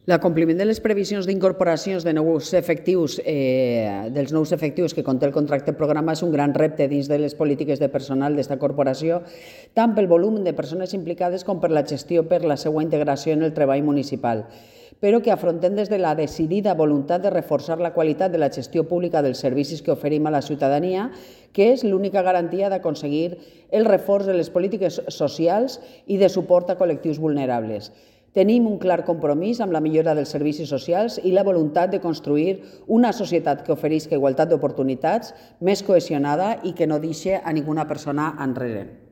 L'acompliment de les previsions d'incorporacions de nous efectius, dels nous efectius que conté el contracte programa és un gran repte dins de les polítiques de personal d'esta corporació, tant pel volum de persones implicades com per la gestió per la seva integració en el treball municipal, però que afrontem des de la decidida voluntat de reforçar la qualitat de la gestió pública dels servicis que oferim a la ciutadania, que és l'única garantia d'aconseguir el reforç de les polítiques socials i de suport a col·lectius vulnerables. Tenim un clar compromís amb la millora dels servicis socials i la voluntat de construir una societat que oferisca igualtat d'oportunitats, més cohesionada i que no deixi a ninguna persona enrere.